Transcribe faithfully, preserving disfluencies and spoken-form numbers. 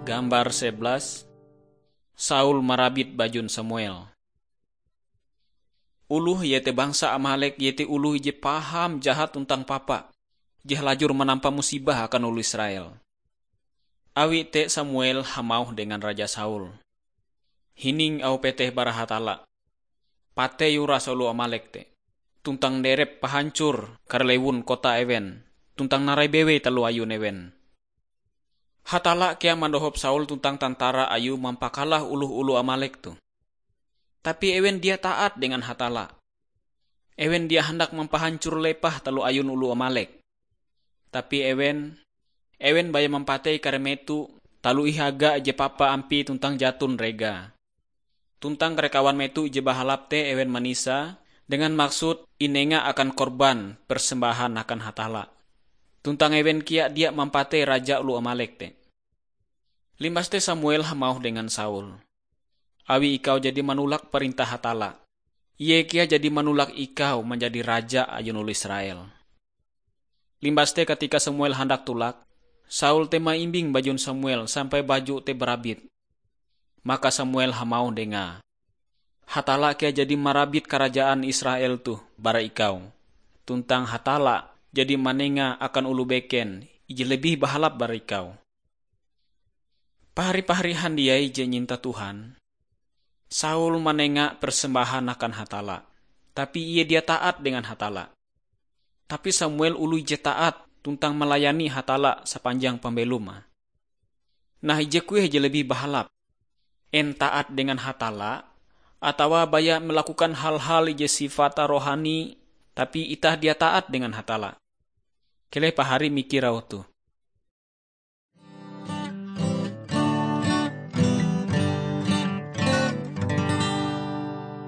Gambar sebelas, Saul marabit bajun Samuel. Oloh iete bangsa Amalek iete oloh ije paham jahat tuntang papa, je halajur manampa musibah akan oloh Israel. Awi te Samuel hamauh dengan Raja Saul, "Hining auh peteh bara Hatalla, 'Patei uras oloh Amalek te, tuntang derep pahancor kare lewun kota ewen, tuntang narai bewei taloh ayun ewen.' Hatalla kea mandohop Saul tuntang tantara ayue mampakalah oloh-oloh Amalek toh. Tapi ewen dia taat dengan Hatalla. Ewen dia handak mampahancor lepah taloh ayun oloh Amalek. Tapi ewen, ewen baya mampatei kare meto taloh ihaga ije papa ampie tuntang jaton rega. Tuntang kare kawan meto ije bahalap te ewen manisa dengan maksud inenga akan korban persembahan akan Hatalla. Tuntang ewen kea dia mampatei raja oloh Amalek te." Limbas te Samuel hamauh dengan Saul, "Awi ikau jadi manolak parentah Hatalla, Ie kea jadi manolak ikau manjadi raja ayun oloh Israel." Limbas te katika Samuel handak tolak, Saul te maimbing bajun Samuel sampai baju te barabit. Maka Samuel hamauh dengae, "Hatalla kea jadi marabit karajaan Israel toh bara ikau, tuntang Hatalla jadi manenga akan oloh beken ije lebih bahalap bara ikau." Pahari-pahari handiai je nyinta Tuhan, Saul manenga persembahan akan Hatalla, tapi ie dia taat dengan Hatalla. Tapi Samuel oloh je taat tuntang malayani Hatalla sapanjang pambelom. Nah, ije kueh je lebih bahalap? En taat dengan Hatalla, atawa baya melakukan hal-hal ije sifate rohani, tapi itah dia taat dengan Hatalla? Keleh pahari mikir auh toh.